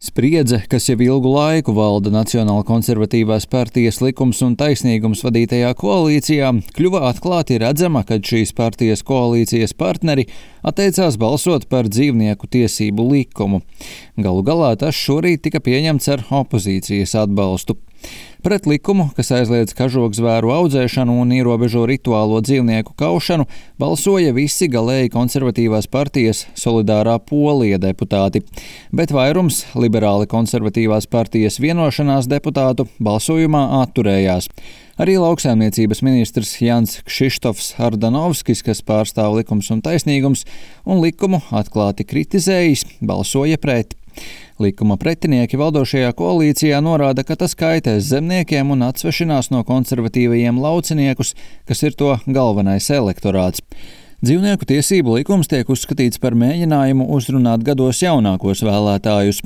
Spriedze, kas jau ilgu laiku valda Nacionāla konservatīvās partijas Likums un taisnīgums vadītajā koalīcijā, kļuva atklāti redzama, kad šīs partijas koalīcijas partneri atteicās balsot par dzīvnieku tiesību likumu. Galu galā tas šorīt tika pieņemts ar opozīcijas atbalstu. Pret likumu, kas aizliedz kažokzvēru audzēšanu un ierobežo rituālo dzīvnieku kaušanu, balsoja visi galēji konservatīvās partijas Solidārā Polija deputāti, bet vairums liberāli konservatīvās partijas Vienošanās deputātu balsojumā atturējās. Arī lauksaimniecības ministrs Jans Kšištofs Ardanovskis, kas pārstāv Likums un taisnīgums un likumu atklāti kritizējis, balsoja pret. Likuma pretinieki valdošajā koalīcijā norāda, ka tas kaitēs zemniekiem un atsvešinās no konservatīvajiem lauciniekus, kas ir to galvenais elektorāts. Dzīvnieku tiesību likums tiek uzskatīts par mēģinājumu uzrunāt gados jaunākos vēlētājus.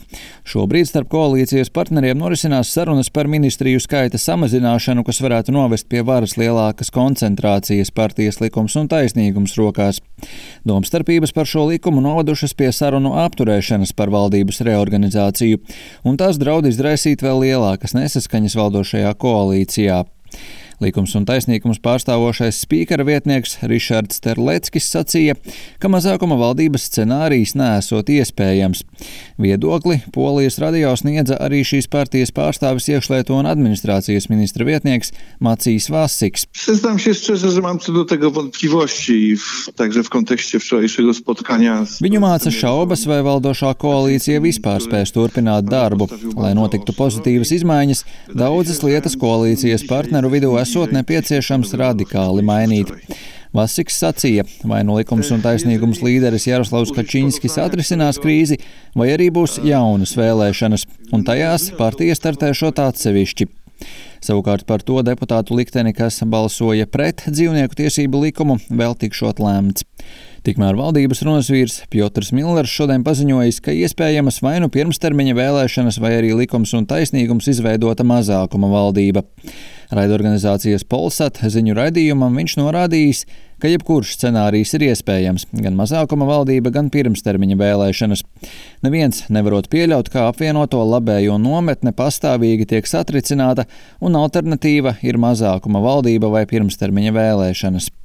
Šobrīd starp koalīcijas partneriem norisinās sarunas par ministriju skaita samazināšanu, kas varētu novest pie varas lielākas koncentrācijas partijas Likums un taisnīgums rokās. Domstarpības par šo likumu novadušas pie sarunu apturēšanas par valdības reorganizāciju, un tās draud izraisīt vēl lielākas nesaskaņas valdošajā koalīcijā. Likums un taisnīgums pārstāvošais spīkara vietnieks Rišards Terleckis sacīja, ka mazākuma valdības scenārijs neesot iespējams. Viedokli Polijas radio sniedza arī šīs partijas pārstāvis iekšlietu un administrācijas ministra vietnieks Macijs Vasiks. Przyznam się szczerze, że mam co do tego wątpliwości, także w kontekście wczorajszego spotkania. Viņu māca šaubas, vai valdošā koalīcija vispār spēs turpināt darbu. Lai notiktu pozitīvas izmaiņas, daudzas lietas koalīcijas partneru vidū esot nepieciešams radikāli mainīt. Vasiks sacīja, vai nu Likums un taisnīgums līderis Jaroslavs Kačinskis atrisinās krīzi, vai arī būs jaunas vēlēšanas, un tajās partija startēšot atsevišķi. Savukārt par to deputātu likteni, kas balsoja pret dzīvnieku tiesību likumu, vēl tikšot lēmts. Tikmēr valdības runas vīrs Pjotrs Millers šodien paziņojis, ka iespējamas vai nu pirmstermiņa vēlēšanas, vai arī Likums un taisnīgums izveidota mazākuma valdība. Raidorganizācijas Polsat ziņu raidījumam viņš norādījis, ka jebkurš scenārijs ir iespējams, gan mazākuma valdība, gan pirmstermiņa vēlēšanas. Neviens nevarot pieļaut, kā apvienoto labējo nometne pastāvīgi tiek satricināta, un alternatīva ir mazākuma valdība vai pirmstermiņa vēlēšanas.